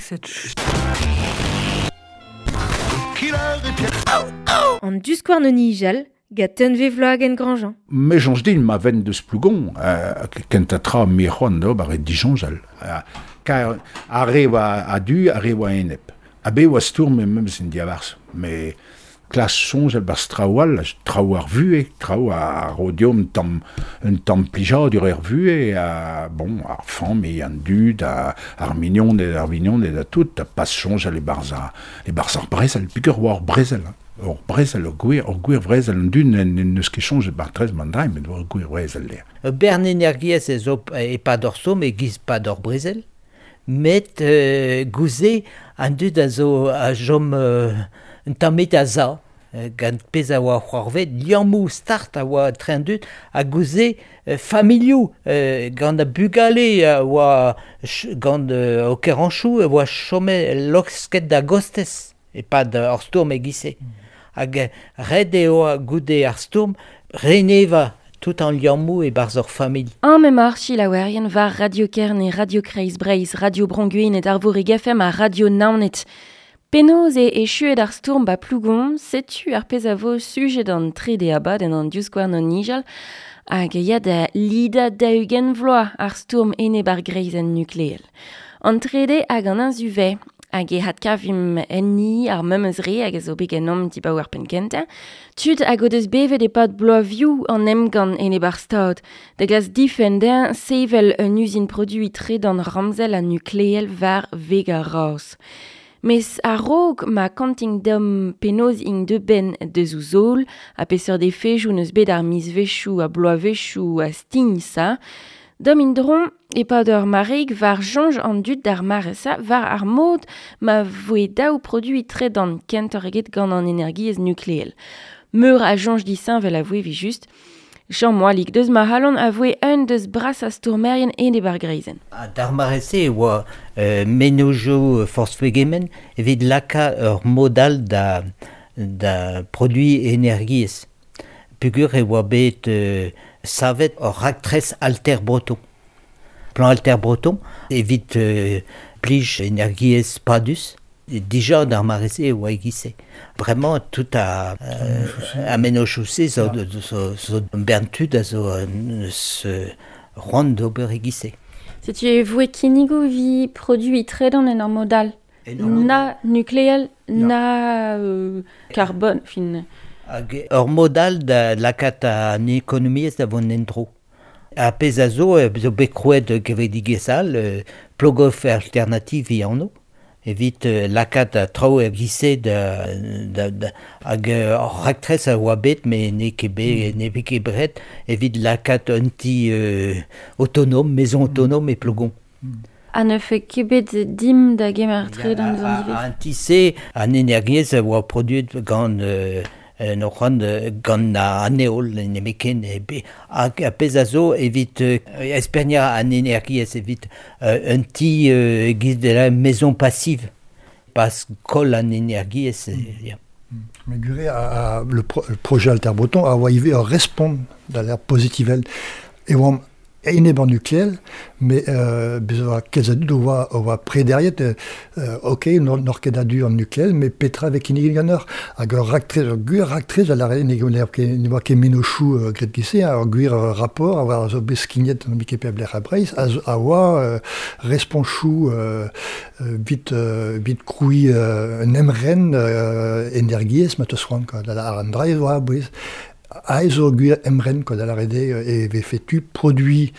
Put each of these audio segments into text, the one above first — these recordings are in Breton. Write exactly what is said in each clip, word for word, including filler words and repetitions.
Set An diskouarn o nijal, gant Tunvezh Wloagen-Grandjean. Me soñj din ma ven deus Plougon, euh, kentañ tra me c'hoant d'ober eo disoñjal. Euh, kar ar re oa a-du, ar re oa enep. Ha bet oa stourm memes en diabarzh. Me klask soñjal barzh traoù all, traoù ar vuhez, traoù a ro deomp un tamm, un tamm plijadur er vuhez, ha bon, ar familh, an dud, a, ar mignoned, ar vignoned ha tout, ha pas soñjal e-barzh ar, e-barzh ar brezel, peogwir oa ur brezel, hein. Ur brezel, ur gwir, ur gwir brezel, an dud n'eus ket soñjet bar trez man dra, met ur gwir brezel eo. Ur bern energiezh ez zo e-pad ur stourm e-giz pad ur brezel, met euh, gouze an dud a zo a chom euh, un tamm a za, gant pezh a oa c'hoarvet, liammoù start a oa etre an dud, ha gouze euh, familhoù euh, gant a bugale a oa gant euh, o keranchoù a oa chomet losket da gostez e-pad ur stourm e-giz-se. Hag ret eo goude ar stourm reneva tout an liammoù e-barzh ur familh. Un memor chilaouerien war Radio Kerne, Radio Kreiz Breizh, Radio Bro-Gwened, Arvorig F M ha Radio Naoned. Penaos e echuet ar stourm ba Plougon, setu ar pezh a vo sujet an trede abadenn an diskouarn o nijal, hag ya da lida daou-ugent vloaz ar stourm enep ar greizenn nukleel. An trede hag an inzuve, hag e hadkavim enni ar memes re hag a zo bet ganeomp dibaoe ar penn kentañ. Tud hag o deus bevet e-pad bloavioù an emgann enep ar stad, da glask difenn dezhañ sevel un uzin produiñ tredan ramzel ha nukleel war veg ar Raz. Mes a-raok ma kanting deomp penaos int deuet benn deus o zol, ha peseurt efejoù n'eus bet ar mizvezhioù ha bloavezhioù a stign sa, deomp en-dro e-pad ur mareig war soñj an dud d'ar mare-sa war ar mod ma voe daou produiñ tredan kentoc'h eget gant an energiezh nukleel. Meur a soñj disheñvel a voe evel-just. Jean Moalig deus ma c'halon a voe un deus brasañ stourmerien enep ar greizenn. Ha d'ar mare-se e oa euh, mennozhioù forzh pegement evit lakaat ur mod all da, da produiñ energiezh. Peogwir e oa bet euh, savet ur raktres Alter Breton. Plan Alter Breton evit euh, plij energiezh padus. Dija d'ar mare-se e oa e-giz-se. Bremañ tout a, euh, a mennozhioù-se zo, zo, zo bern tud a zo eus c'hoant d'ober e-giz-se. Setu e voe kinnigoù vi produiñ tredan en ur mod all. Na nukleel, na euh, karbon, fin. Hag ur mod all da lakaat an ekonomiezh da vont en-dro. Ha pezh a zo, zo bet krouet kevredigezh all, euh, Plogoff Alternative e anv, evit euh, lakaat a traoù er giz-se da, da, da, hag ur raktres a oa bet, met n'eo ket bet, n'eo ket bret, evit lakaat un ti euh, autonome, maison autonome e Plogon. Ha ne fait ket bet dim da gemer tredan eus an divez. An ti-se, an energiezh a oa produet gant euh, en ur c'hoant gant an heol, nemetken, hag a pezh a zo evit euh, esperniañ an energiezh evit euh, un ti euh, giz de la maison passive, pas koll an energiezh. Mm. Ya. Mais guré, a, a, le, pro, le projet Alter Breton a oa ivez ur respont da l'air positivel. E oamp enep an nukleel, mais euh, bez oa kalz a dud oa, oa prederiet, euh, ok, n'or, n'or ket a-du an nukleel, mais petra vez kinniget ganeoc'h. Hag ur raktres, ur gwir raktres, a lare ne, ne, ne oa ket mennozhioù euh, graet giz-se, ur gwir rapport a oa zo bet skignet an ket pep lec'h a Breizh, a zo, a oa euh, responchoù euh, vit, euh, vit krouiñ euh, un emren euh, energiezh ma teus c'hoant, quoi. Da la ar an dra e oa a-bouez. Aes zo gwir emren, quoi, da lare eo e vefe tu produit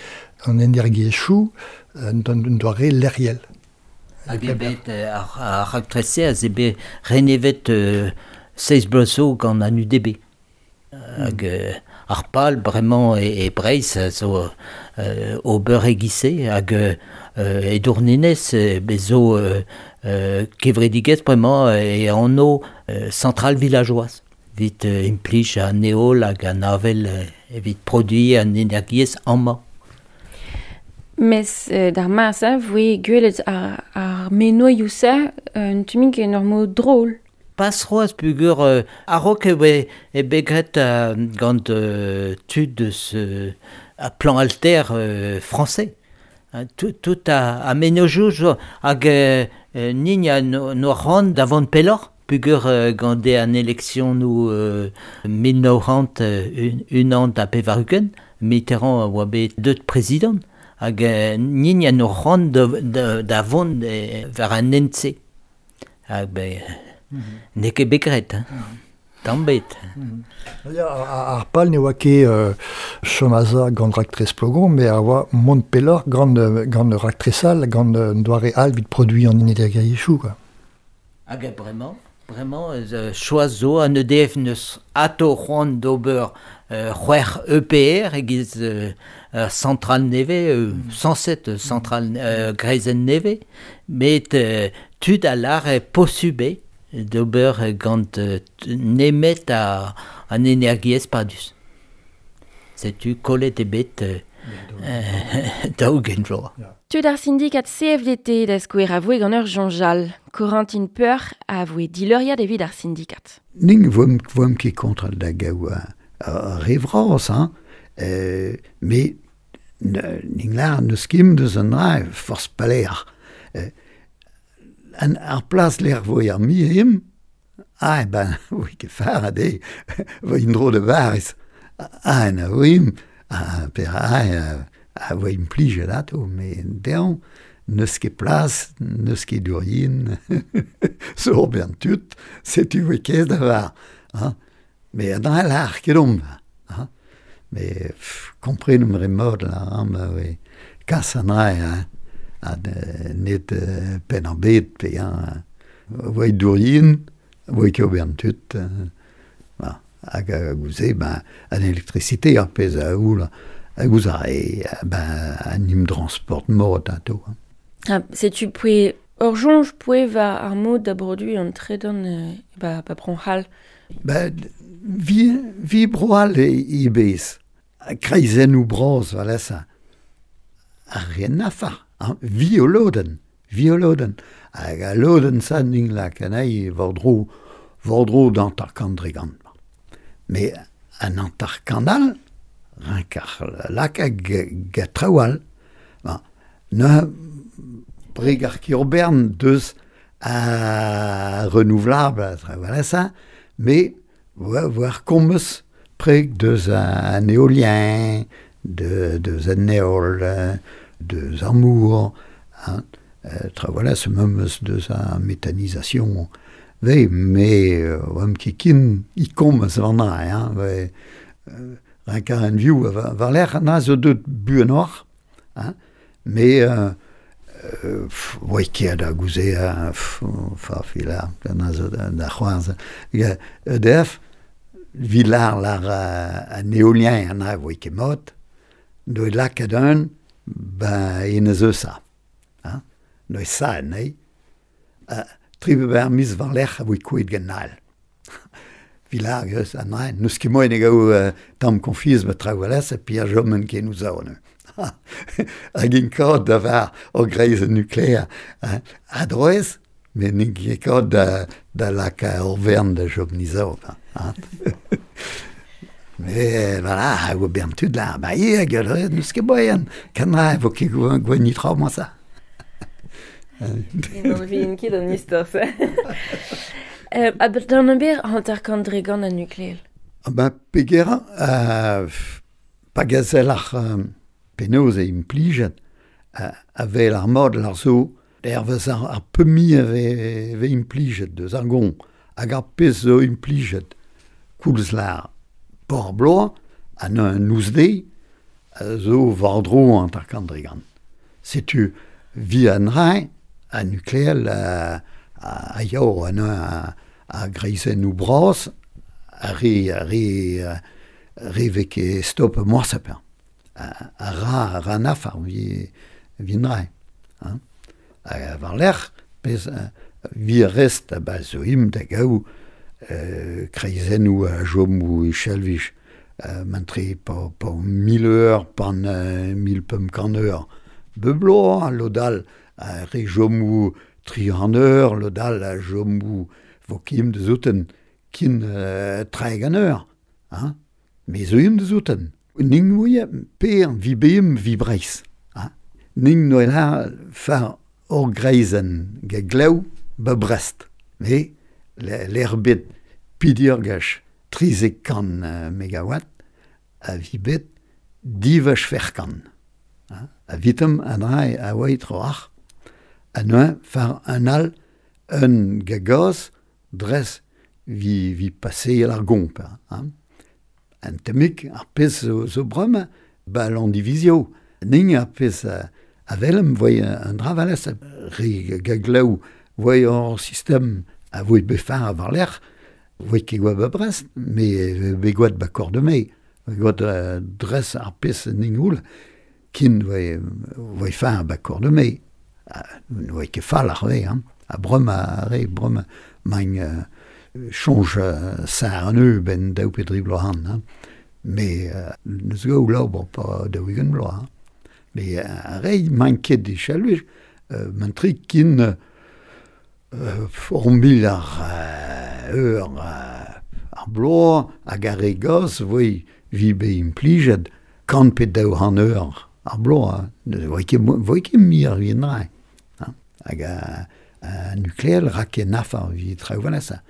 an energiezhioù en doare lec'hiel. Hag eo bet ar, ar raktres-se a zo bet renevet euh, seiz bloaz zo gant an U D B. Hag euh, ar pal bremañ e, e Breizh a zo euh, ober e-giz-se, hag euh, e Douarnenez bez zo euh, euh, kevredigezh bremañ e anv euh, centrale villageoise. Evit euh, implij an heol hag an avel euh, evit produiñ an energiezh amañ. Mes euh, d'ar mare-se voe gwelet ar, ar menoioù-se un tumig en ur mod drôle. Pas c'hoazh peogwir euh, a-raok e oa e bet graet euh, gant euh, tud eus euh, a plan alter euh, français. Tout, tout a, a menojou zo hag euh, nin a no, no c'hoant da vont pelloc'h pugur euh, gant an election nou euh, mil nav c'hant unan da pevar-ugent Mitterrand a oa bet deut prezident hag euh, nin a no c'hoant da, da, da vont euh, war an hent-se hag be mm -hmm. n'eo ket bet graet hein. Mm -hmm. Tamm bet. Mm -hmm. Ya, ar pal ne oa ket euh, chom a gant raktres Plogon, mais a oa mont pelloc'h gant, gant raktres all, gant doare all vit produit an energiezhioù, quoi. Hag bremañ, bremañ, euh, choaz zo an E D F neus ato c'hoant d'ober euh, c'hwec'h E P R egiz euh, centrale nevez, euh, mm. cent sept centrale euh, greizenn nevez, met euh, tud a lar e posubet d'ober gant nemet a, an energiezh padus. Setu kollet ebet daou-ugent vloaz. Tud ar syndikat C F D T da skouer a voe gant ur Jean-Jal. Corentin Peur a voe dileuriad evit ar syndikat. Ning voem, voem ket kontra da gaou a, a re vras, hein. Euh, mais ning lar neus kim deus an dra forz paler. Euh, An ar plas l'er voe ar mi him, ah, ben, voe ket far a de, voe indro de varis. Ah, na voe ah, per ah, a voe implijet ato, me dean, neus ket plas, neus ket durien, zo ben tut, setu voe kez da var. Hein. Me an dra l'ar ket omp. Hein. Me komprenomp re mod la, hein, ma voe kas an dra, hein. Ha net euh, pen ar bet, pe hein, voe dourien, voe ket ober an tut. Ba, hag a gouze, ben, an elektrisite ar pezh a oul, a gouze a e, ben, an im transport mod ato. Ah, setu poe, ur soñj poe va ar mod da brodu an tredan euh, ba, ba bro-C'hall. Ben, vi, vi bro-C'hall e ibez, kreizennoù bras, voilà ça. Ar rien a fa. Hein, vi o lodenn, vi o lodenn. Hag a lodenn sa ning lak anezhi war-dro, war-dro d'antar-kant dregant. Mais an antar-kant all, rinkar lak hag ga traoù all. Ba, ne breg ar kirbern deus a renouvelable, voilà ça, mais war kommeus preg deus an éolien, de, deus an éol, deus ar mour, hein, euh, tra voilà, ce memes deus a méthanisation, ve, me, oam ket kin i kommeus war na, hein, ve, euh, rinkar an viou, war l'er na zo deut buan oc'h, hein, me, euh, euh, oa ket da gouze, hein, fa fila, na zo da c'hoaz, E D F, vi lar lar an éolien, an a oa ket mod, doe lakaat un, ben, enez eus a. Hein? Noe sa, nei. Uh, tri ber mis war lec'h a voe kouet gant al. Vilar eus an dra, neus ket moen e gaou uh, tamm konfiz ba traoù alez, e pi a jomen ken ouz aon. Hag in kaout da var o greiz nukleer. Hein? A droez, met n'int ket kaout da, da laka ur vern da jom nizav. Hein? Mais voilà, hag o bern tud la, ba ie, hag neus ket boen, kan ra, vo ket gwen nitra moi ça. Non, vin ket an istor, ça. Euh, a d'an ber hanter-kant dregant an nukleel. Ah ben, peger, euh, pa gazel ar euh, penaos e implijet, euh, a vel ar mod ar zo, ervez ar, ar pemi a ve, ve implijet deus ar gon, hag ar pezh zo implijet, koulz lar por bloaz, an un ouzde, zo war-dro hanter-kant dregant. Setu vi an rae, a nukleel a, a, a yao an a, a greizennoù bras, a re, a re, a re vek e stop moasaper. A, a ra, a ra nafar vi, vi rae. Hein? A war lec'h, pez, vi rest a ba zo im da gaou euh, kreizennoù a jom ou e chelvich, euh, mantre pa, pa mil eur, pan euh, mil pemp kant eur. Beblo, lodal, a re jom ou tri an eur, lodal a jom ou vo kim de zouten kin euh, treg an eur. Hein? Me zo im de zouten. Ning mouie, per vi beim vi breiz. Hein? Ning noe la far ur greizenn ga glev ba Brest. Me, l'erbet pidir gach trizek kan uh, megawatt a vi bet divach ferkan. A vitem an rai a oa troach. A noa far an al un gagaz dres vi, vi passer ar gomp. Hein. An temik ar pez zo, zo brom ba l'an divizio. Ning ar pez a, a velem voy an dra valez re gaglev voy ur sistem a voy befar a var l'er voy ket goa ba Brest, me be goat ba Cordemais. Goat uh, dres ar pez ning oul kin voy, voy far ba Cordemais. Voy ket fall ar ve, hein. A brom a re, brom main uh, change uh, sa an eu ben daou pe dri bloaz an, hein. Me uh, neus go laober pa daou ugent bloaz, hein. Me a re main ket de chaluj, uh, man tri kin uh, ur mil ar uh, eur uh, ar bloaz hag ar re gaz voi vi be implijet kant pe daou an eur ar bloaz, hein. Voi ket, voi ket mi ar vien rai. Hein. Hag a, a nukleel rak e nafar vi traoù valesa.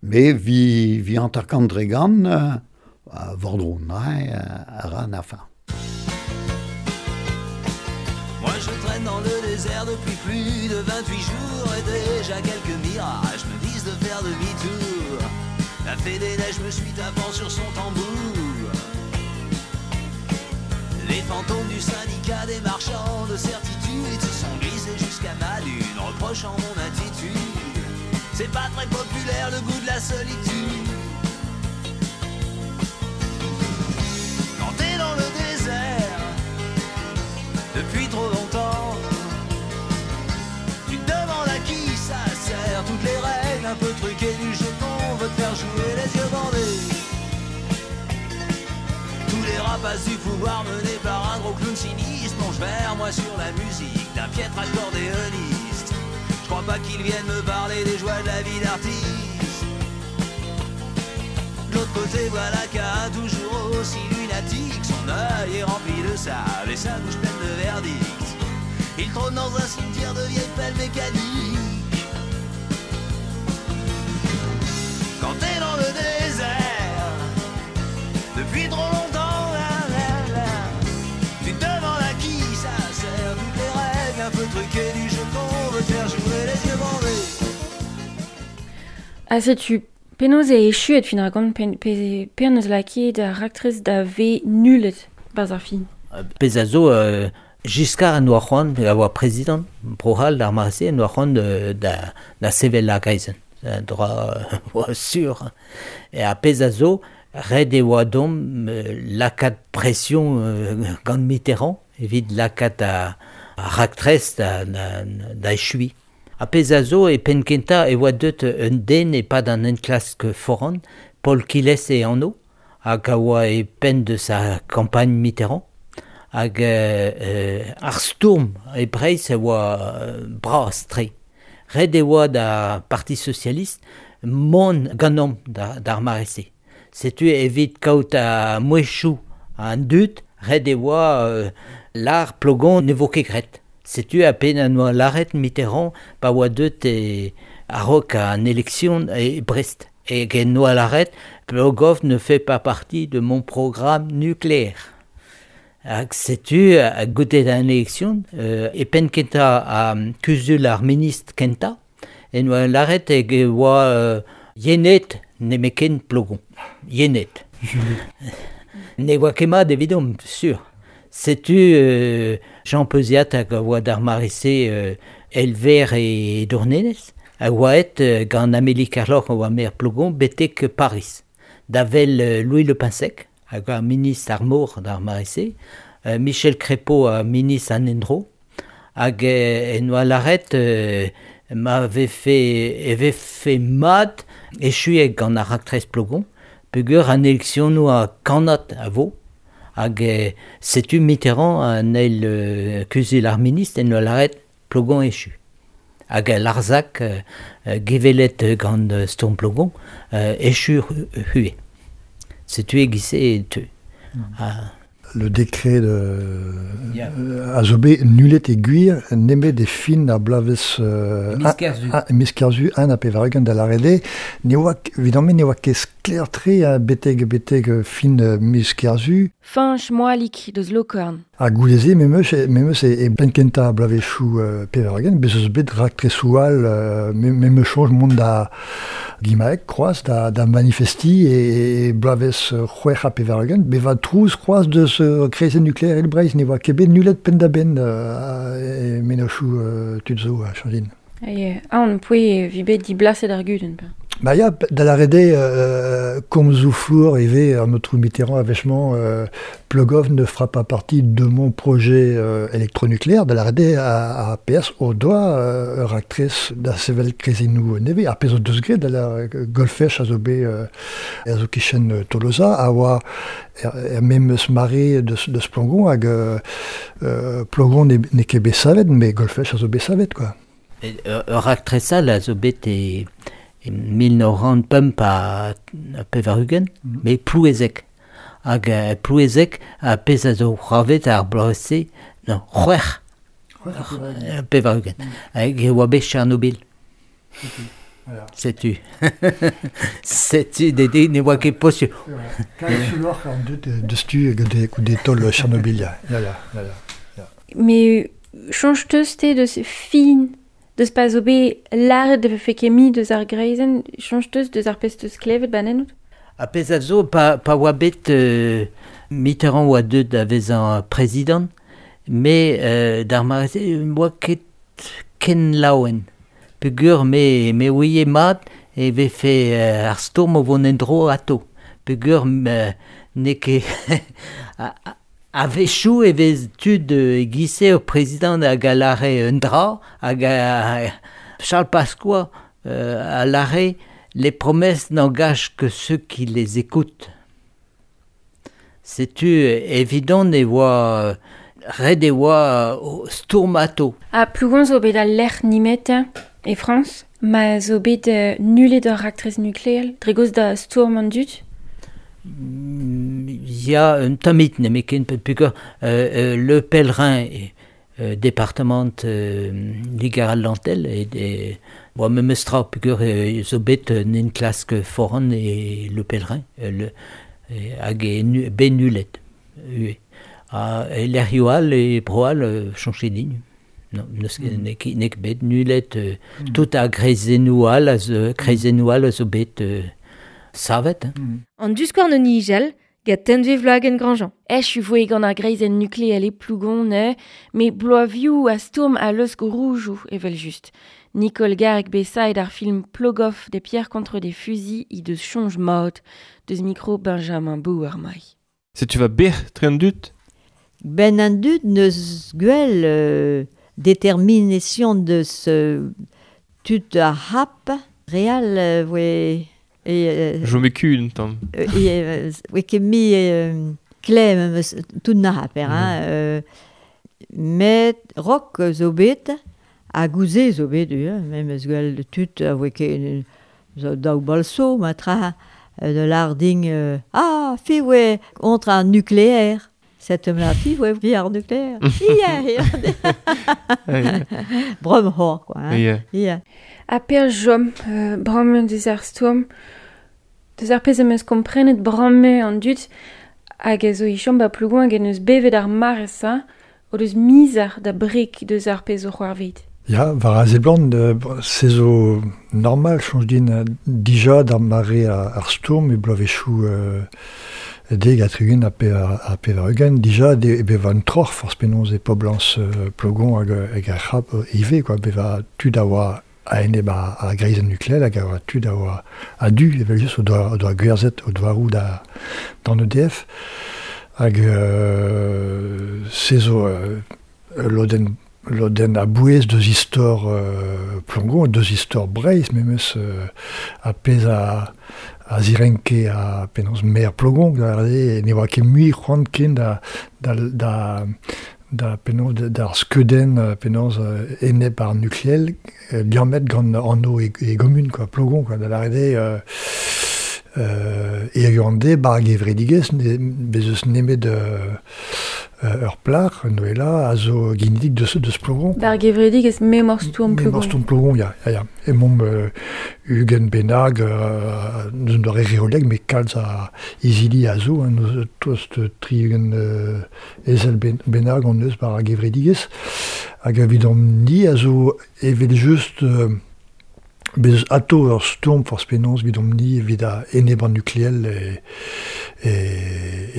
Me vi, vi antar kant dre gant uh, a vordron rai a ra nafar. Moi je traîne dans le désert depuis plus de vingt-huit jours et déjà quelques mirages me disent de faire demi-tour. La fée des neiges me suit tapant sur son tambour. Les fantômes du syndicat des marchands de certitude se sont glissés jusqu'à ma lune, reprochant mon attitude. C'est pas très populaire le goût de la solitude. Quand t'es dans le désert depuis trop longtemps, tu te demandes à qui ça sert. Toutes les règles un peu truquées du jeu qu'on veut te faire jouer les yeux bandés. Tous les rapaces du pouvoir menés par un gros clown sinistre plongent vers moi sur la musique d'un piètre accordéoniste. Je crois pas qu'ils viennent me parler des joies de la vie d'artiste. De l'autre côté, voilà qu'un toujours aussi lunatique. Son œil est rempli de sable et sa bouche pleine de verdicts. Il trône dans un cimetière de vieilles pelles mécaniques. Quand t'es dans le désert depuis trop longtemps, là, là, là, tu te demandes à qui ça sert. Toutes les règles un peu truquées du jeu qu'on veut te faire jouer les yeux bandés. Ah, setu penaos e echuet fin ar gant pe, pe, pe an eus laket ar raktres da ve nullet barzh ar fin. Pez a zo euh, Giscard en oa c'hoant a oa prezident Prohal d'ar mare-se en oa c'hoant euh, da, da sevel ar greizenn. Dra oa sur. E a pez a zo red e oa dom euh, lakaat pression euh, gant Mitterrand evit lakaat a, a raktres da, da, da echui. A pez a zo e penn kentañ e oa deut un den e pad an enklask foran, Paul Quilès e anv, hag a oa e penn deus ar campagne Mitterrand, hag euh, ar stourm e Breizh e oa euh, bras tre. Red e oa da Parti Socialiste mont ganeomp da, d'ar mare-se. Setu evit kaout a mouezhioù an dud, red e oa euh, l'ar Plogon ne vo ket graet. Setu a pen an oa laret Mitterrand pa oa deut e a-raok an élection e Brest. E gen oa laret, Plogoff ne fait pas partie de mon programme nucléaire. Hag setu a goude an élection euh, e penn kentañ a kuzul ar ministr kentañ, en oa laret e oa euh, yenet nemeken Plogon. Yenet. Ne oa ket mat evidomp, sur. Setu euh, Jean Peuziat hag a oa d'ar mare-se euh, Elver e Dournenez, a oa et euh, gant Amélie Kerloc'h a oa maer Plogon betek Paris. Da vel euh, Louis Le Pensec, hag a ministre ar mor d'ar mare-se, euh, Michel Crépeau a ministre an endro, hag euh, en oa laret euh, m'avait fait, avait fait mat echuet gant ar raktres Plogon, peogwir an élection oa kannad a vo, hag euh, setu Mitterrand an eil euh, kuzul ar ministre en oa laret Plogon echu. Hag Larzac euh, gevelet gant euh, Stourm Plogon euh, echu hue. Setu e gise e teu. Mm. Ah. Le décret de yeah. euh, a zo bet nullet e gwir nemet e fin ar bloavezh euh, miz Kerzu un a pevar-ugent da lâret ne oa evidemment ne oa ket sklaer-tre a betek betek fin miz Kerzu. Fañch Moalik deus Lokorn. Ha gouleze memeus memeus e, e penn kentañ ar bloavezhioù euh, pevar-ugent bez eus bet raktresoù all euh, memeus soñj mont da Gimaek kroaz da, da manifesti e, e bloavezh c'hwec'h ha pevar-ugent bevañ trouz kroaz deus euh, kreizenn nukleel Breizh ne oa ket bet nullet penn-da-benn euh, e mennozhioù euh, tud zo a chañjin. Aie, aon poe vi bet diblaset ar gudenn pa. Ba ya, da lâret eo euh, komzoù flour ivez an aotrou Mitterrand a-wechement euh, Plogoff ne fera pas partie de mon projet euh, électronucléaire, da lâret eo a, a P S o doa euh, ur raktres da sevel kreizennoù nevez, ar pezh o deus graet da la Golfech a zo bet euh, a zo kichen Tolosa a oa er, er memes mare deus, deus Plogon hag euh, euh, Plogon ne, n'eo ket bet savet, mais Golfech a zo bet savet, quoi. Ur raktres all a zo bet e, e mil nav c'hant pemp ha pevar-ugent, mm. mais Plouezec. Hag uh, Plouezec a pezh a zo c'hoarvet ar bloaz-se, non, c'hwec'h pevar-ugent. Hag e oa bet Tchernobyl. Okay. Voilà. Setu. Setu, dede, ne oa ket posubl. Kalz suloc'h an deut deus tu goude taol Tchernobyl, ya, ya, ya, ya. Mais soñj teus te deus fin deus pa zo bet lâret de vefe ket mi deus ar greizenn, soñj teus deus ar pezh teus klevet banen out? A pezh a zo, pa, pa oa bet euh, Mitterrand oa deut da vezañ prezidant, mais euh, d'ar mare-se oa ket ken laouen. Peogwir me, me ouie mat e vefe euh, ar stourm o vont en-dro atao. Peogwir euh, n'eo ket a-wechoù e vez tud e-giz-se ur prezidant hag a lâre un dra, hag a, Charles Pasqua euh, a lâre les promesses n'engagent que ceux qui les écoutent. Setu evidon e oa ret e oa stourm atao. Ha Plougon zo bet al lec'h nemetañ e Frañs, ma zo bet euh, nullet ur raktres nukleel, dre gaoz da stourm an dud? Ya, un tammig nemetken peogwir euh, euh, Le Pèlerin euh, département euh, Liger-Atlantel e, e oa memes tra peogwir euh, zo bet un enklask foran e Le Pèlerin euh, le, e, hag e nu, bet nullet. Ue. Ha e lec'hioù all e bro all euh, chañchet din. Non, n'eus ket mm. n'eo ket bet nullet euh, mm. tout ar greizennoù all a zo, kreizennoù all a zo bet euh, savet. Hein. Mm. An diskouarn o nijal, gant Tenve Vloagen Grandjean. Echu voe gant ar greizenn nukleel e Plougon, mais bloavioù a stourm a lesk roujoù evel just. Nicole Garg bet ar film Plogoff des pierres contre des fusils i deus soñj mat deus micro Benjamin Bouarmaï. Setu va bec'h tre an dud? Ben an dud neus gwell euh, détermination deus euh, tud ar hap real euh, voe... Et, euh, Je me cul un tamm. Euh, et, euh, oe ket mi euh, klemm eus tout na haper, hein, mm. euh, met rok zo bet, ha gouze zo bet, euh, mem eus gwell tud a voe ket zo daou balso, ma tra de larding, euh, ah, fi oe contre un nucléaire. Cette la fi oe vi ar nucléaire. Ia, ia. Brom hor, quoi. Hein. Ia. Ia. A per jom, euh, bramme deus ar stourm, deus ar pezh am eus komprenet bramme an dud, hag a zo i chom ba Plougon hag en eus bevet ar mare-sa, o deus mizar da brek deus ar pezh o c'hoarvet. Ya, war a seblant, euh, se zo normal, soñj din, dija d'ar mare ar stourm e bloavezhioù euh, deg ha tregont ha pevar, pevar-ugent, dija de, e bevañ un troc'h forzh penaos e poblañs euh, Plogon hag, hag ar c'hab ivez, quoi, bevañ tud a oa a-enep ar, ar greizenn nukleel hag a oa tud a oa a-du evel just o doa, o doa gwerzhet o doaroù da, d'an E D F hag euh, se zo euh, lodenn lodenn a-bouez deus istor euh, Plogon, deus istor Breizh memes euh, a pezh a, a zirenke a penaos maer Plogon, da ne oa ket mui c'hoant ken da, da, da da penaos d'ar skeudenn penaos enep ar nukleel liammet gant anv e, e gomun, quoi, Plogon, quoi, da lâret eo euh, Euh, e an de bar gevredigez, ne, bez eus nemet euh, ur plach, Noëlla, a zo ginidik deus, deus Plougon. Bar gevredigez memor stourm Plougon. Memor stourm Plougon, ya, ya, ya. E mom euh, Ugen benag, euh, neus doare reoleg, me kalz a izili a zo, hein, neus tost tri ugen euh, ezel ben, benag an eus bar gevredigez. Hag evidom ni a zo evel just... Euh, bez ato ur stourm forz penaos evidomp ni evit a eneb an nukleel e, e,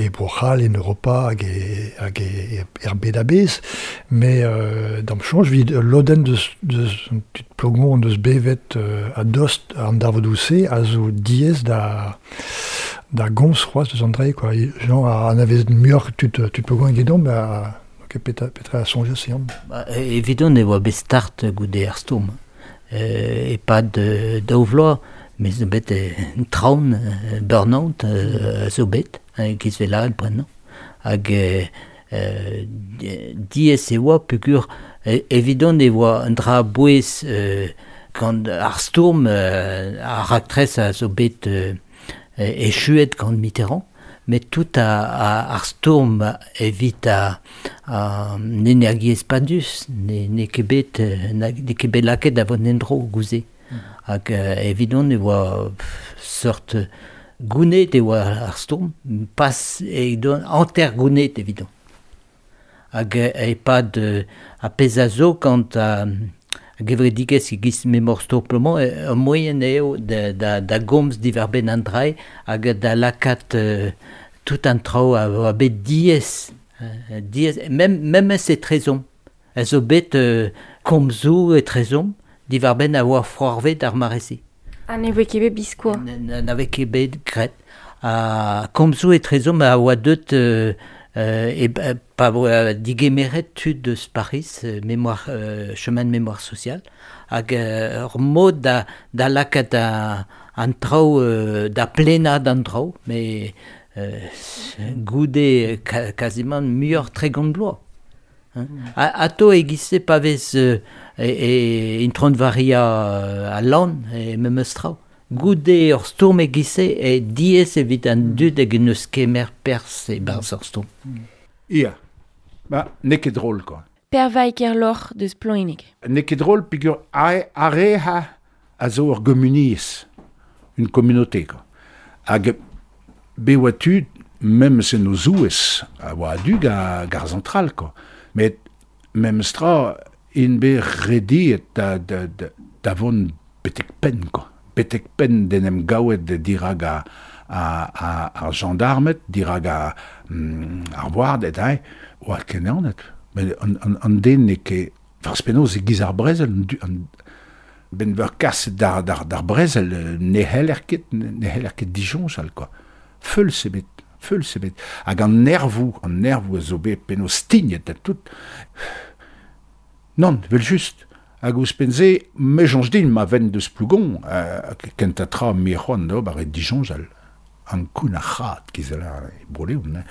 e Bro-C'hall, en Europa hag e, hag e, er bed a-bezh, mais euh, d'am soñj evit lodenn deus, deus an tud Plougon deus bevet euh, a dost an darvodoù-se a zo diaes da da gomz c'hoazh deus an dre, quoi. Jean a anavezet muioc'h tud, tud Plougon egedon, ba, ok, petra, petra a soñjas Yann. Ba, evidon e oa bet start goude ar stourm. Euh, e-pad euh, daou vloaz, mais zo bet euh, traon, euh, burn-out euh, zo bet, hein, giz vel bremañ. Hag euh, diaes e oa peogwir evidon e oa un dra bouez euh, gant ar stourm euh, ar raktres a zo bet euh, echuet gant Mitterrand, mais tout a, a, ar stourm evit a, a an energiezh padus, ne, ne ket bet, ne ket bet lakaet da vont en-dro gouze. Mm. Hag euh, evidon e oa seurt gounet e oa ar stourm, pas evidon hanter gounet evidon. Hag e-pad a pezh a zo kant a, a gevredigezh e-giz memor stourm Plougon, ur moaien eo da, da, da gomz diwar-benn an dra hag da lakaat euh, tout an traoù a oa bet diaes, euh, diaes, mem, memes etrezomp. A zo bet euh, komzoù etrezomp diwar-benn a oa foarvet ar mare-se. Ha ne voe ket bet biskoazh. Na voe ket bet graet. Ha komzoù etrezomp a oa deut euh, Euh, e pa voe digemeret tud deus Paris, mémoire, euh, chemin de mémoire sociale, hag euh, ur mod da, da lakaat a, an traoù, euh, da plenad an traoù, mais euh, goude ka, quasiment muioc'h tregont bloaz. Hein. Mm. Ato e-giz-se pa vez euh, e, e Intron Varia a lan e memes traoù. Goude ur stourm e-giz-se e diaes evit an dud hag neus kemer perzh e-barzh ur stourm. Ia, ba, n'eo ket drôle, quoi. Per Vaiker-Lor deus Ploeneg. N'eo ket drôle peogwir ar re ha a zo ur gumuniezh, une communauté, quoi. Hag be oa tud, memes en o zouez, a oa a-du ga, gar zentral, quoi. Met memes tra, int bet rediet da, da, da, da vont betek penn, quoi. Betek penn d'en em gaouet dirag a, a, a, ar gendarmed, dirag a, mm, ar warded, hein, oa kenanet. Met an, an, an den n'eo ket... Farz penaos e giz ar brezel, an, an, ben veur kaset d'ar, d'ar, d'ar brezel, ne heller ket, ne heller ket disoñjal, quoi. Feuls ebet, feuls ebet. Hag an nervoù, an nervoù a zo bet penaos stignet da tout. Non, vel just. Hag ouzhpenn-se, me soñj din ma ven deus Plougon, euh, kentañ tra me c'hoant d'ober e disoñjal. An koun ar c'had giz a e Bro-Leon, hein.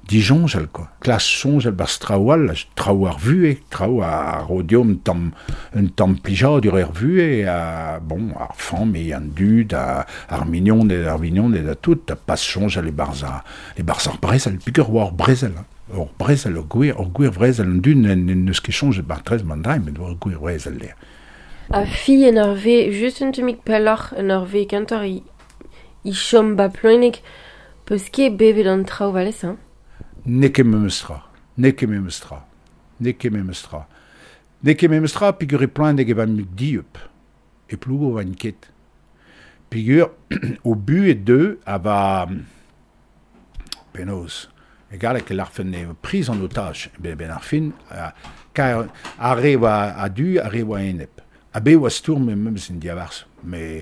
Disoñjal, quoi. Klas soñjal barzh traoù all, traoù ar vuhez, traoù a ro deomp tamm, un tamm plijadur er vuhez, a, bon, ar familh, an dud, a, ar mignoned, ar mignoned a tout, a pas soñjal e-barzh ar, e-barzh ar brezel, peogwir oa ur brezel, hein. Ur brezel, ur gwir, ur gwir brezel, an dud n'eus ket soñjet bar trez man dra, met ur gwir brezel eo. A fi en ur ve, just un tammig pelloc'h en ur ve kentoc'h i, i chom ba Ploeneg, peus ket bevet an traoù valez, hein? N'eo ket memes tra, n'eo ket memes tra, n'eo ket memes tra. N'eo ket memes tra peogwir e Ploeneg e van dieub, e Plougo van ket. Peogwir o bu e deu a va penaos. E galleg e larfen eo prise en otage, ben, ben ar fin, kar ar re oa a-du, ar re oa enep. A be oa stourm e memes en diabarzh, mais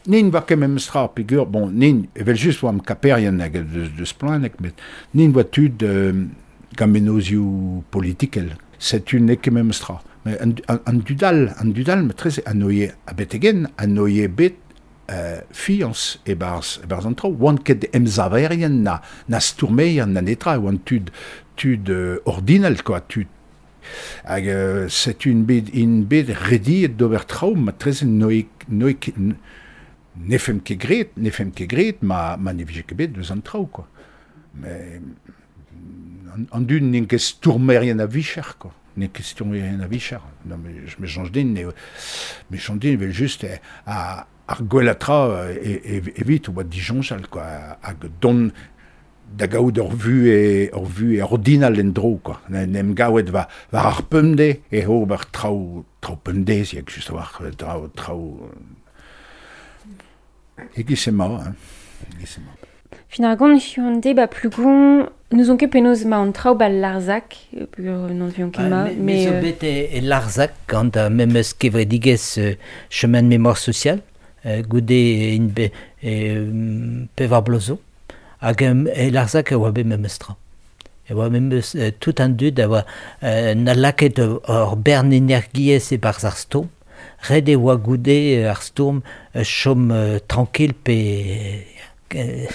nin va ket memes tra, peogwir, bon, nin, evel just oa am kaperien hag deus, deus Ploeneg, met nin oa tud euh, gant menozioù politikel. Setu n'eo ket memes tra. Mais an, an, an dudal, an dudal, matreze, an oie a betegen, an oie bet euh, fiañs e-barzh, e-barzh an traoù. Oant ket emsaverien na, na stourmeien na netra, oant tud, tud euh, ordinal, quoi, tud. Hag euh, setu int bet, int bet rediet d'ober traoù, matreze n'oe, n'oe ket, Ne fem ket graet, ne fem ket graet, ma, ma ne vije ket bet deus an traoù, quoi. Mais an, an dud n'int ket stourmerien a vicher, quoi. N'int ket stourmerien a vicher. Non, mais je me change din, ne, me change din, evel just, eh, a, ar gwell a tra e, e, evit oa disoñjal, quoi. Hag don da gaout ur vu e, ur vu e ordinal en dro, quoi. N'em gaouet va, war ar pemde e ober traoù, traoù pemdez, yak just war traoù, traoù... Egiz ema, hein. Egiz ema. Fin ar gant hiziv de ba Plougon, n'ouzon ket penaos ma an traoù ba Larzac, peogwir n'on vion ket ma, Me mais zo euh, bet e, e Larzac gant ar memes kevredigezh euh, chemin de mémoire sociale, euh, goude in be, e, pevar bloaz zo. Hag e Larzac e oa bet memes tra. E oa memes euh, tout an dud a oa euh, na lakaet ur bern energiezh e-barzh ar stourm. Ret e oa goude ar stourm euh, chom euh, tranquille pe euh,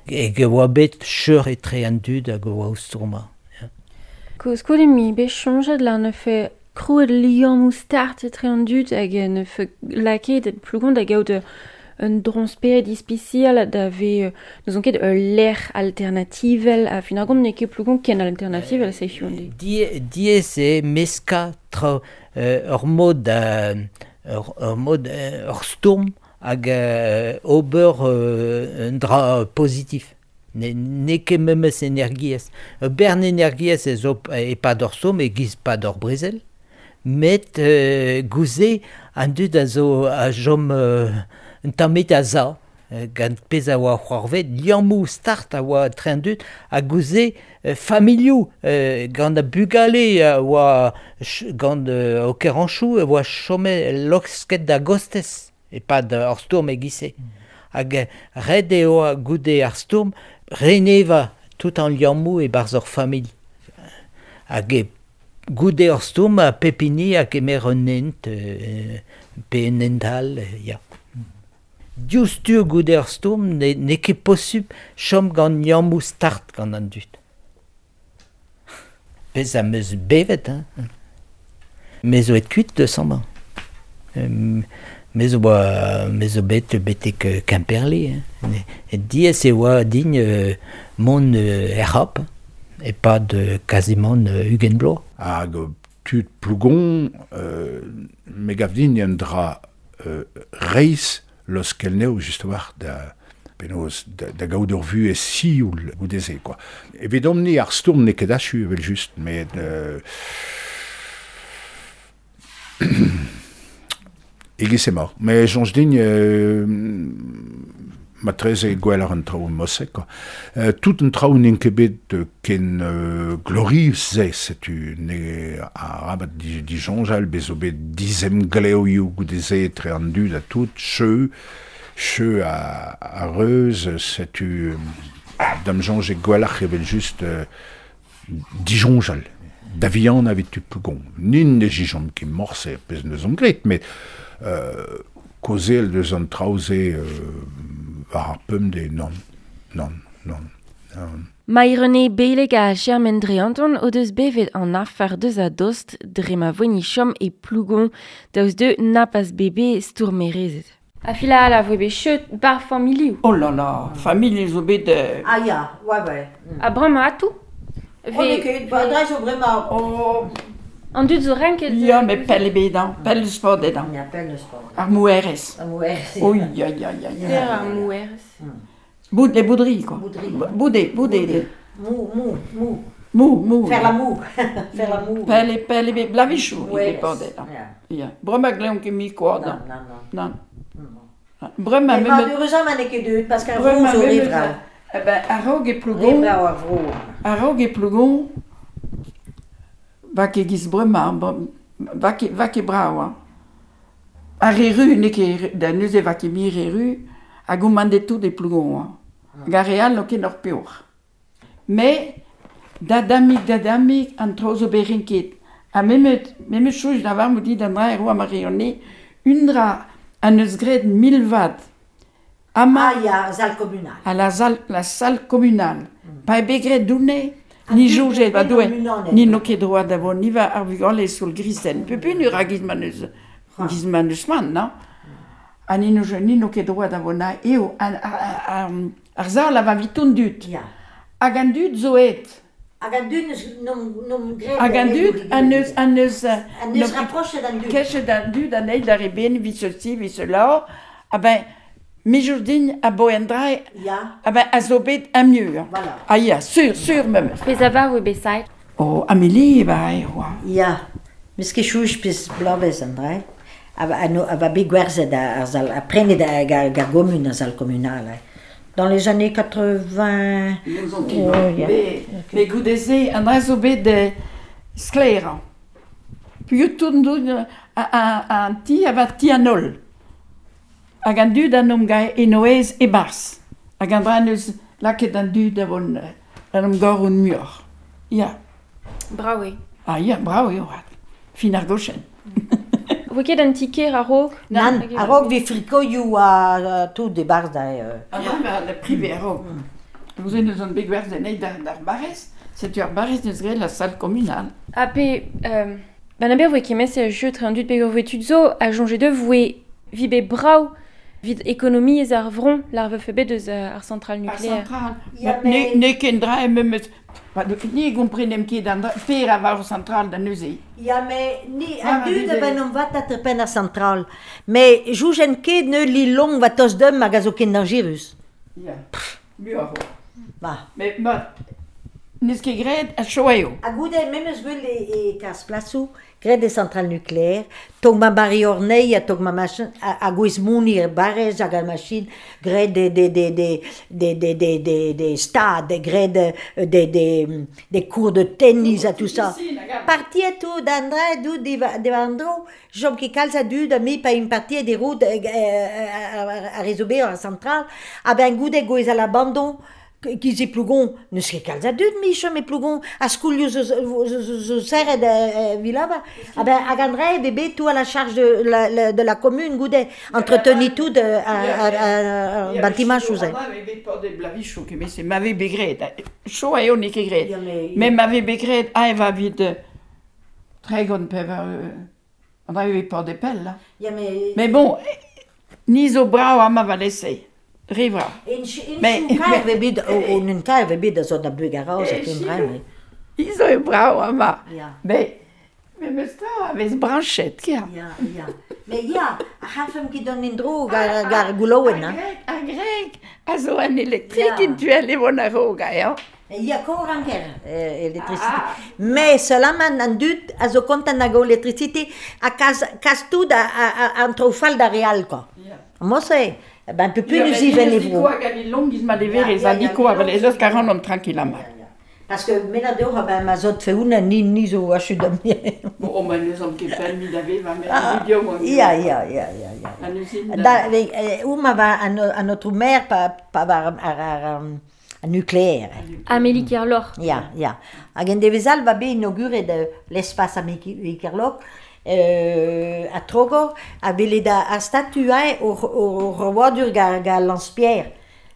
hag e oa bet cheur etre an dud hag oa o stourmañ. Koulskoude mi bet soñjet la ne fe krouet liammoù start etre an dud hag ne fe lakaet et Plougon da gaout un dron-spered ispisial da ve n'ouzon ket ul lec'h alternativel a fin ar gont n'eo ket Plougon ken alternativel se hiziv an deiz. Die, diaes eo meskañ tra euh, ur mod ur, ur mod ur stourm hag euh, ober euh, un dra pozitif. Ne, n'eo ket memes energiezh. Ur bern energiezh ez zo e-pad ur stourm e-giz pad ur brezel, met euh, gouze an dud a zo a chom euh, un tamm a za, gant pezh a oa c'hoarvet, liammoù start a oa etre an dud, ha gouze euh, familhoù, euh, gant a bugale a oa ch- gant euh, o keranchoù a oa chomet losket da gostez, e-pad ar stourm e-giz-se. Hag ret eo goude ar stourm reneva tout an liammoù e-barzh ur familh. Hag e goude ar stourm a pep hini a kemer un hent, euh, pe un hent all, ya. Diouzhtu goude ar stourm ne, n'eo ket posupl chom gant liammoù start gant an dud. Pezh am eus bevet, hein. Me zo et kuit deus amañ. Euh, me zo oa, me zo bet betek Kemperle, hein. E diaes e oa din euh, mont euh, er C'hap, e-pad euh, kazimant euh, ugent bloaz. Hag tud Plougon, euh, me gav din un dra euh, reizh loskel neo just war da penaos da, da gaout ur vu e sioul goude-se, quoi. Evidomp ni ar stourm n'eo ket achu evel just, met euh, egiz ema. Mais soñj din euh, matreze gwell ar an traoù mosek, quoi. Euh, tout an traoù n'int ket bet ken euh, glorius-se, setu ne arabat di, disoñjal, bez zo bet dizemgleoioù goude-se etre an dud ha tout, cheu, cheu a, a reuz, setu da'm soñj e gwelloc'h evel just euh, disoñjal. Da vihan evit tud Plougon. Nin ne jijomp ket morse, pezh neus omp graet, met euh, kaozeal deus an traoù-se euh, war ar pemdez, non, non, non, non. Maï-René Beleg ha Germaine Dreanton o deus bevet an afer deus a dost dre ma voeni chom e Plougon daoust deu na pas bebe stourmerezed. A fila ala voe bet cheut bar familhoù. Oh là là, familh zo bet... Euh... Ah ya, ouais, ouais. A bremañ atou. Oh, n'eo ket, ba dre zo bremañ. Oh. An dud zo renket... Ya, met pell ebet, hein, pell eus sport edan. Ya, pell eus sport. Ar mouerez. Ar mouerez. Oi, oi, oi, oi. Ter ar mouerez. Boud, les bouderies, quoi. Bouderies. Boudé, boudé. Mou, mou, mou. Mou, mou. Faire la moue. Faire la moue. Pell e, pell ebet, blavichou, Mouerez. e bordel. Ya. Ya. Bremañ gleomp ket mi quoi, Non, non, non. Non. Bremañ... Mais malheureusement, n'eo ket deut, parce qu'ar vro zo re vrav. Eh ben, a-raok e Plougon... Re vrav ar vro. A-raok e Plougon... Va ket giz bremañ, va ket, va ket brav, hein. Ar re ru, n'eo ket, da neuze va ket mi re ru, hag o mandet tout e Plougon, hein. Hag ar re all n'o ket n'or peoc'h. Mais, da damik, da damik, an traoù zo bet renket. Ha memet, memet chouj da var moudi d'an dra ero a ma reone, un dra an eus graet mil vat. Ama, ah ya, salle communale. A la salle, la salle communale. Mm. Pa e bet graet doune, ni dud soñjet ba bet doue, unanet. ni n'o ket droit da vont, ni va ar vugale soul grisen. Pep un ur a giz ma neus, giz ma neus man, non? Ha ni no, ni no ket droit da vona eo, an, ar, ar zal a va viton dud. Ya. Hag an dud zo et. Hag an dud neus nom, nom gret... Hag an dud an neus... An neus, an neus rapprochet an dud. Kechet an dud an eil d'ar eben, vid ceci, vid cela. Ah ben, mijourdin a bo en dra... Ya. Ah ben, a zo bet am mur. Voilà. Ah ya, sur, sur memes. Pez a var oe besait? Oh, Amélie, ba e oa. Ya. Mis ket chouch pez blavez an dra. A va bet gwerzet ar zal, a prenet ar gar gomun ar zal communal. Dans les années quatre-vingts... Oh, yeah. Me goudeze, an dra zo bet de sklerañ. Puis tout doun an ti a va ti an ol. Hag an dud an om gae enoez e bars. Hag an dra neus laket an dud a von an om gor un mur. Ya. Bravo eo. Ah ya, bravo eo. Fin ar gochen. Voe ket an tiket a-raok? Nan, a-raok vi frikoioù a tout de barz da... Ah non, ba, la privé a-raok. Vous en eus an bet gwerzet anezhi d'ar barrez, setu ar barrez neus graet la salle communale. Ha pe, euh, ben aber voe kemez e jeu tre an dud peogwir voe tud zo, a jonge de voe vi bet brav vid ekonomiezh ar vron, l'ar vefe bet eus ar centrale nucléaire. Ar centrale, ja, ne, ne ken dra e memes... Ba, ni gomprenem ket an dra, per a var centrale da neuze. Ya, me ni an dud a ben om vat at pen ar centrale. Me joujen ket ne li long va tos dem hag a zo ken dangerus. Ya, muioc'h. Ba. Me, ma, n'eus ket graet a choaio. Ha goude, memes gwell e, e kas plasou, graet de centrale nucléaire, tog ma bari ornei ha tog ma machin, a gwez moni er barrez hag ar machin, graet de, de, de, de, de, de, de, de, de stade, graet de, de, de, de cours de tennis ha tout ça. Parti tout d'Andra, du de Andro, jom ket kalz a dud a mi pa un parti de route a résober ar centrale, a ben goude gwez a l'abandon, ki ze plougon, neus ket kalz a dud mi chom e plougon, a skoulioù zo, zo, zo serret euh, vilava. Ah ben, hag an dra e bet tout à la charge de la, la, de la commune goude, entreteni tout de, a, a, a, a bâtiment chouzen. Ya, bet por de blavichou, ket me se m'ave bet graet, cho a eo n'eo ket graet. Me m'ave bet graet a eva vid tregont pevar, an dra e bet por de pell, là. Ya, mais... Mais bon, ni zo brao a ma va lese. Rivra. Mais mais bet o un kaer ve bet a zo da bug a-raoz a ken dra. Izo eo brao ama. Mais mais meus tra a vez branchet kia. Ya, ya. Mais ya, a c'hafem ket an endro gar gar goulouen, hein. Ar greg a zo an elektrik in tuel e von a-raok a, Ya kor an ker, électricité. Mais seulement an dud a zo kontant hag o électricité a kaz, kaz tout a, a, a an trofal da real, quoi. Moi c'est ben peu plus nous y venez vous. Quoi gant long giz ma leverez a diko a les eus karan om tranquillamment. Parce que mena dehors ben ma zot fe una ni ni zo achu da mi. Bon o ma neus am ket pell mi da veva me video. Ya ya ya ya ya. Da ou ma va a notre mère pa pa var ar ar nucléaire. Amélie Kerloc'h. Ya ya. Hag en devezal va bet inauguret l'espace Amélie Kerloc'h. Euh, a Trogor, a velet a, a statue au, au, au revoidur ga, ga Lance-Pierre,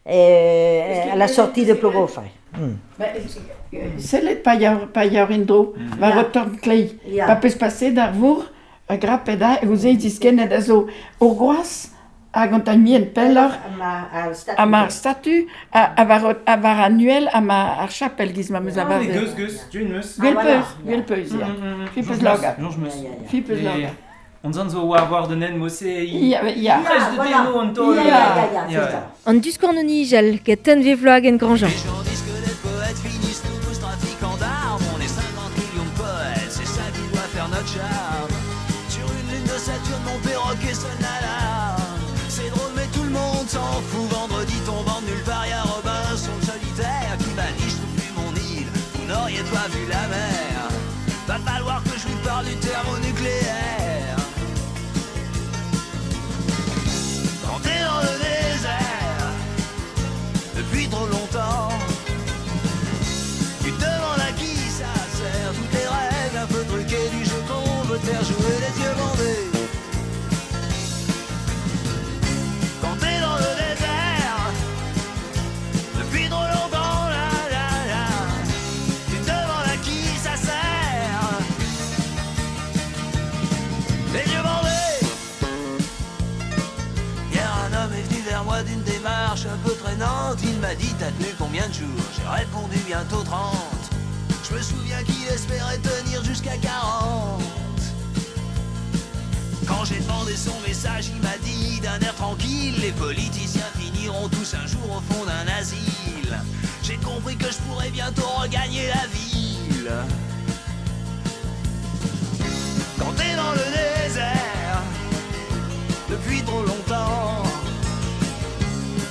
euh, à la sortie de Plogoff. Mm. Sellet pa yar, pa yar indro, va retorn klei. Pa peus passe d'ar vour, a grapet a, e ouzei diskennet a zo ur groaz, hag an taimien pelloc'h, a ma ar statu, a, a var, a var annuel, a ma ar chapel giz ma meus a var. Geus, geus, duen meus. Gwell peus, gwell peus, ya. Fi peus loga. Jonj meus. Fi peus loga. On zan zo war war den en mose i... Ya, ya. Prech de deno an tol. Ya, ya, ya, c'est ça. An diskornoni jal, get tenve vloag en Grandjean. Les gens disent que les poètes finissent tous trafiquants d'armes. On est cinquante millions de poètes, c'est ça qui doit faire notre charme. Sur une lune de Saturne, mon perroquet sonne l'alarme. C'est drôle mais tout le monde s'en fout. Vendredi tombant de nulle part, y'a Robinson solitaire qui m'a dit je trouve plus mon île. Vous n'auriez pas vu la mer. Va falloir que je lui parle du thermonucléaire. Quand t'es dans le désert depuis trop longtemps, tu te demandes à qui ça sert. Toutes les règles un peu truquées du jeu qu'on veut te faire jouer les yeux bandés. Quand t'es dans le désert depuis trop longtemps, la la la, tu te demandes à qui ça sert. m'a dit t'as tenu combien de jours? J'ai répondu bientôt trente. Je me souviens qu'il espérait tenir jusqu'à quarante. Quand j'ai demandé son message, il m'a dit d'un air tranquille, les politiciens finiront tous un jour au fond d'un asile. J'ai compris que je pourrais bientôt regagner la ville. Quand t'es dans le désert depuis trop longtemps,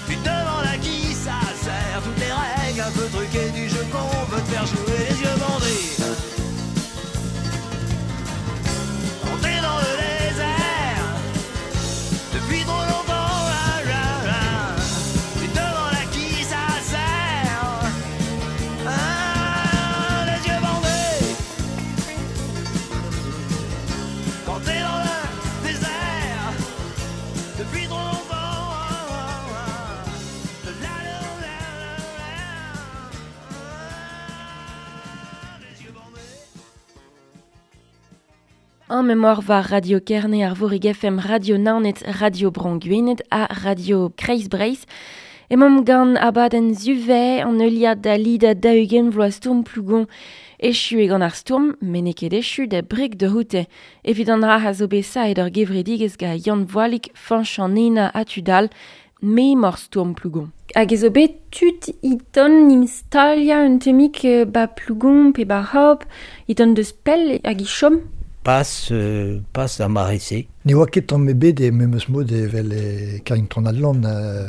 tu te demandes à qui ça sert. Toutes les règles un peu truquées du jeu qu'on veut te faire jouer les yeux bandés. Quand t'es dans le désert depuis trop longtemps, ah, ah, ah, tu te demandes à qui ça sert. Ah, les yeux bandés. Quand t'es dans le désert depuis trop longtemps, ah, ah, ah, la, la, la, la, la, les yeux bandés. En mémoire war Radio Kerne ar Vorig F M, Radio Naoned, Radio Bro Gwened ha Radio Kreiz Breizh. Emaomp gant abadenn Zuve an heuliad da lida daou-ugent vloaz stourm Plougon. Echu eo gant ar stourm, met n'eo ket echu da breg da c'houte. Evit an dra a zo bet saet ur gevredigezh gant Yann Voalig, Fañch an Ena ha tud all, memor stourm Plougon. Hag ez zo bet tud iton im stalia un temik euh, ba Plougon pe ba Hop, iton deus pell hag i chom. Pas, euh, pas da mare-se. Ne oa ket tamm ebet e memes mod evel e Carrington Adland. Euh,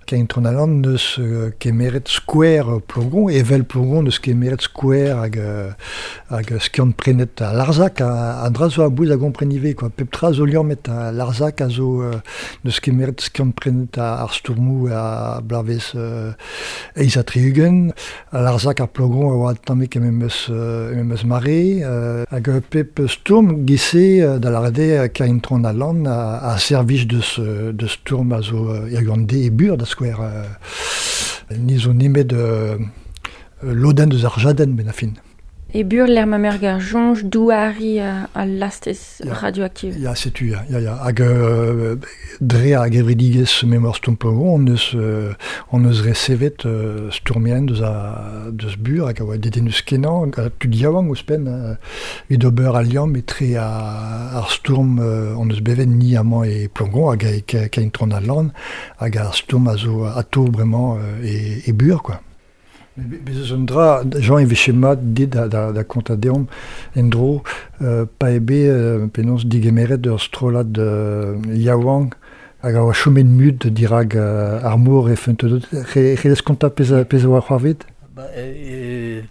Carrington Adland neus euh, kemeret skouer Plougon, evel Plougon neus kemeret skouer hag, euh, hag skiant prenet a Larzac, a, a dra zo a bouez a gompren ivez, quoi. Pep tra zo liammet a Larzac a zo euh, neus kemeret skiant prenet a ar stourmou a blavez euh, eiz ha tri-ugent. A Larzac ar Plougon a oa tammik e memes, euh, e memes mare, euh, hag pep stourm gise euh, da lâret eo Carrington Adland a, a servij deus, euh, deus stourm a zo euh, ir de e bur da skouer. Euh, ni zo nemet euh, lodenn deus ar jadenn ben a fin. E bur l'er ma mer gar jonj douari a, a lastez Ya. radioaktiv. Ya, setu, ya, ya, ya. Hag euh, dre ar gevredigezh memor stourm Plougon, on eus, euh, on eus resevet euh, stourmien deus, a, deus bur hag a oa dedennus kenañ, hag tud yaouank ouzhpenn, euh, evit ober al liamm etre a, ar stourm euh, on eus bevet ni amañ e Plougon hag e Carrington Adland, hag ar stourm a zo atao bremañ euh, e, e bur, quoi. Bez eus un dra, Jean e veche mat dit da, da, da konta deomp en dro, euh, pa eo bet euh, penaos digemeret ur strollad euh, yaouank hag a oa chomet mut dirag euh, ar mor e feunteudot. Re, relez konta pezh a, pezh a oa c'hoarvet? Ba, euh,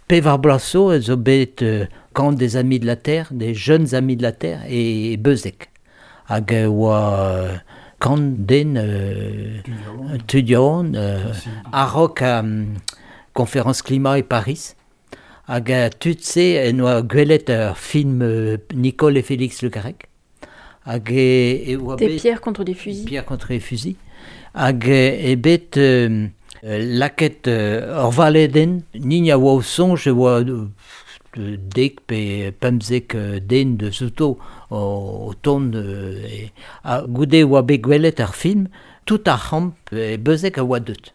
pevar bloaz zo ez zo bet euh, camp des Amis de la Terre, des jeunes amis de la Terre, e Beuzeg. Hag e oa euh, kant den euh, tud yaouank, euh, a-raok euh, conférence climat e Paris. Hag a tud-se en oa gwelet ur film euh, Nicole et Félix Le Garrec. Hag e, e oa Des bet pierres contre des fusils. Pierre contre les fusils. Hag e, e bet euh, laket euh, ur valedenn, nin a oa o soñj e oa euh, dek pe pemzek euh, den deus outo o, o tont euh, e, ha goude oa bet gwelet ar film, tout ar c'hamp e Beuzeg a oa deut.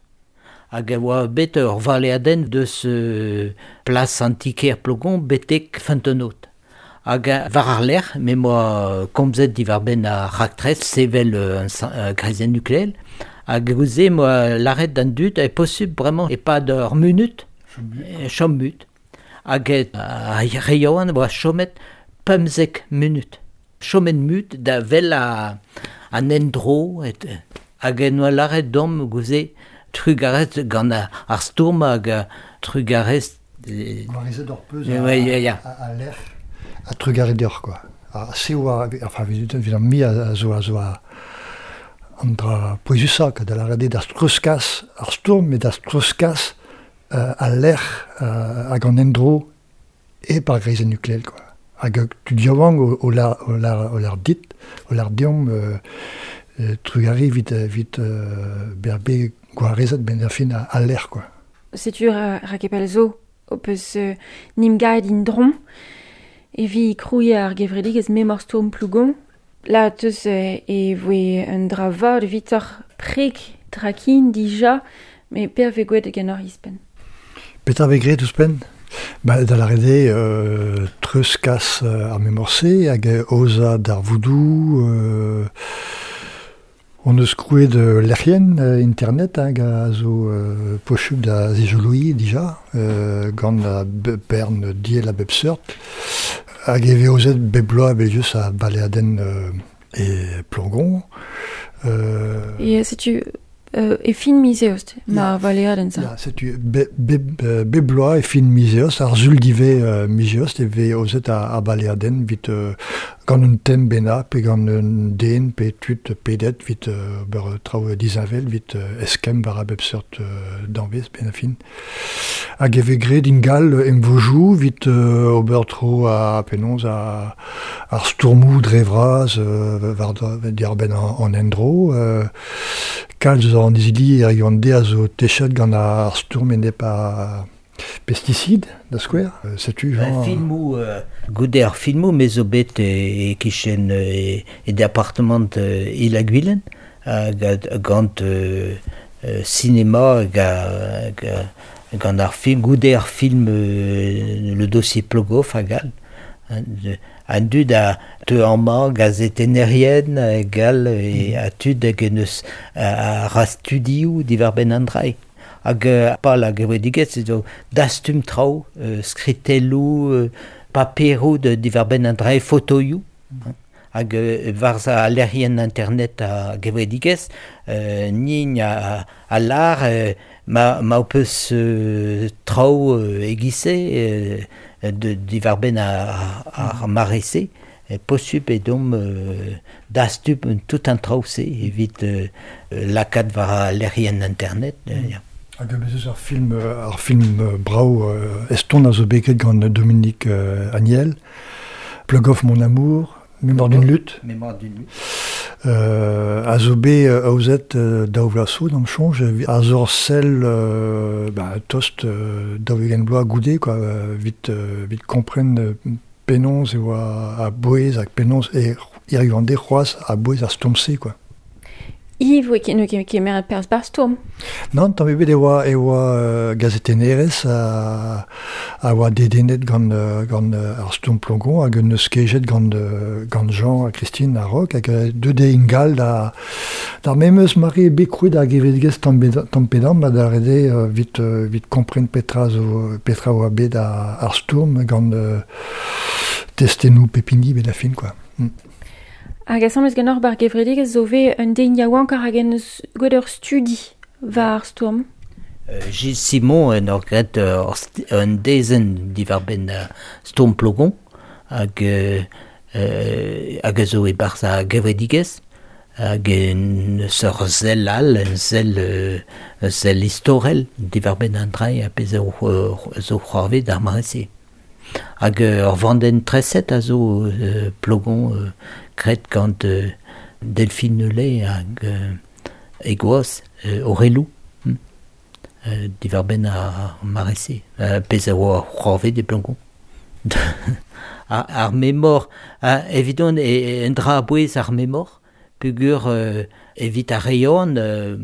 Hag e oa bet ur valeadenn deus euh, plas antiker Plougon betek Feunteunod. Hag a, war ar lec'h, me moa komzet diwar-benn ar raktres sevel euh, un sa-, euh, greizenn nukleel, hag gouze moa lâret d'an dud e posubl bremañ e-pad ur munut, e chom mut. Hag e, a re yaouank oa chomet pemzek munut. Chomet mut da vel a, an endro, et, hag en oa lâret d'omp gouze trugarez gant ar, ar stourm hag a trugarez... Euh, Gwarezet ur peus Eh a, ouais, ya, ya. a, a lec'h a trugarez deoc'h, quoi. A se oa, enfin, evit, evit an mi a, a zo a zo a an dra pouezusañ, quoi, da lâret eo d'ar treuzkas ar stourm, met d'ar treuzkas euh, a lec'h euh, hag an endro e par greizenn nukleel, quoi. Hag tud yaouank o, o lar, o lar, o lar dit, o lar deomp, euh, euh, trugarez evit, evit euh, bezañ bet gwarezet ben ar fin a, a lec'h, quoi. Setu ra, rakepel zo o peus euh, nim gaet in dron, evi krouiñ ar gevredigezh memor stourm Plougon. La teus euh, e voe un dra vat evitoc'h preg trakin dija Me per ve gwelet ganeoc'h ispen. Petra vez graet ouzhpenn? Ba, da lâret eo euh, treuzkas euh, ar memor-se hag aozañ darvoudoù, euh, on eus krouet euh, lec'hienn euh, internet hag a zo euh, posupl da zijoloiñ dija, euh, gant a bern diell a bep seurt, hag e vez aozet bep bloaz evel-just a baleadenn euh, e Plogon. Euh, E setu euh, e fin miz eost, ma valeadenn sa. Ya, setu be, be, be bloaz e fin miz eost, ar sul divez euh, miz eost e vez aozet a, a baleadenn vit euh, gant un tem bennak pe gant un den pe tud pedet vit euh, ober traoù disheñvel vit euh, eskemm war a bep seurt euh, danvez ben a fin. Hag e vez graet ingal emvojoù vit euh, ober tro a penaos a ar stourmoù dre vras euh, war diarbenn an, an endro. Euh, kalz an izili er gant de a zo techet gant ar stourm enep a pesticide, da skouer. Euh, setu, Jean... Filmoù, euh, goude ar filmoù, me zo bet e, e kichen e, e departement euh, Il-ha-Gwilen, hag gant euh, cinéma hag, hag, gant ar film, goude ar film euh, le dossier Plogoff hag all. An dud a teu amañ gazetennerien gal e a tud hag eus a, a ra studioù diwar-benn an dra. Hag pal hag gevredigezh zo dastum traoù, euh, skritelloù, euh, paperoù de diwar-benn an dra, fotoioù. Hag euh, war a lec'hienn internet a gevredigezh, euh, nin a, a lar euh, ma, ma ho peus euh, traoù euh, e-giz-se euh, de diwar-benn ar, ar mare-se, e posupl eo deomp euh, dastum tout an traoù-se evit euh, lakaat war a lec'hienn internet. Mm. Ya. Hag bez eus ar film, ar film brav euh, eston a zo bet graet gant Dominique euh, Agnel, Plogoff mon amour, Mémoire d'une lutte. Mémoire d'une lutte. Euh, a zo bet euh, aozet euh, daou vloaz zo d'am soñj, a zo ur sell euh, ba, tost euh, daou-ugent bloaz goude, quoi, euh, vit, euh, vit kompren euh, penaos e oa a bouez hag penaos e hiziv an deiz c'hoazh a bouez ar stourm-se, quoi. Yves, oe ket ket kemeret perzh bar stourm. Non, tamm ebet e oa, e oa euh, gazetennerez a, a oa dedennet gant, euh, gant euh, ar stourm Plogon hag un eus kejet gant, euh, gant Jean ha Christine a Rock hag deuet eo ingal da, d'ar memes mare bet krouet ar gevredigezh tamm tamm pe damm ma da ret eo vit, euh, vit kompren petra zo, petra oa bet ar, ar stourm gant euh, testennoù pep hini bet a fin, quoi. Mm. Hag asambles ganeoc'h bar gevredigezh zo ve un den yaouank hag en eus gwelet ur studi war ar stourm. Euh, Gilles Simon en ur graet ur un dezenn diwar-benn uh, stourm Plogon hag, euh, hag a zo e-barzh ar gevredigezh hag en eus ur sell all, un sell, euh, un sell istorel diwar-benn an dra a pezh zo, zo c'hoarvet d'ar mare-se. Hag ur vandenn treset a zo euh, Plogon euh, graet gant euh, Delphine Nollet hag euh, e gwaz euh, Aurélou hm. euh, diwar-benn ar mare-se, euh, pezh a oa c'hoarvet e Plogon. ar, ar memor, uh, evidon e, un dra a-bouez ar memor, pugur euh, evit ar reon, euh,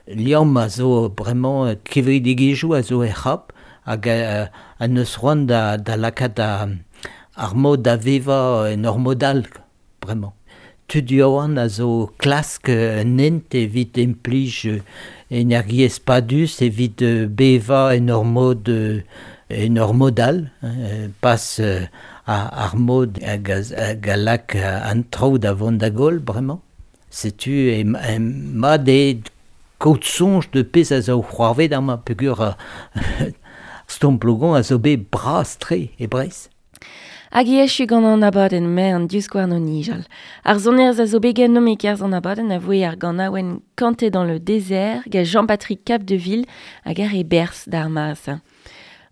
liamm a zo bremañ kevredigezhioù a zo er c'hap, hag euh, an eus c'hoant da, da lakaat a, ar mod da vevañ en ur mod all, bremañ. Tud yaouank a zo klask un hent evit implij energiezh padus, evit bevañ en ur mod, en ur mod all, hein, pas ar, ar mod hag a, hag a lak an traoù da vont da goll bremañ. Setu e, e mat eo kaout soñj de pezh a zo c'hoarvet amañ peogwir stourm Plogon a zo bet bras-tre e Breizh. Hag e echu gant an abadenn me an divskouarn o nijal. Ar sonerezh a zo bet ganeomp e-kerzh an abadenn a voe ar ganaouenn Kanté dans le désert gant Jean-Patrick Capdeville hag ar e berzh d'ar mare-se.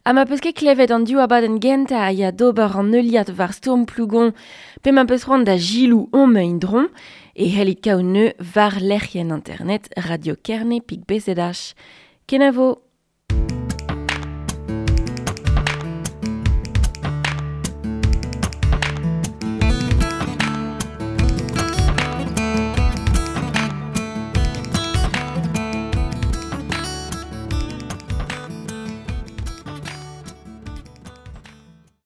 Ha ma peus ket klevet an div abadenn gentañ a ya d'ober an heuliad war stourm Plougon pe ma peus c'hoant da gilou on ma indron e c'hellit kaout neu war lec'hienn internet Radio Kerne pik B Z H. Kenavo!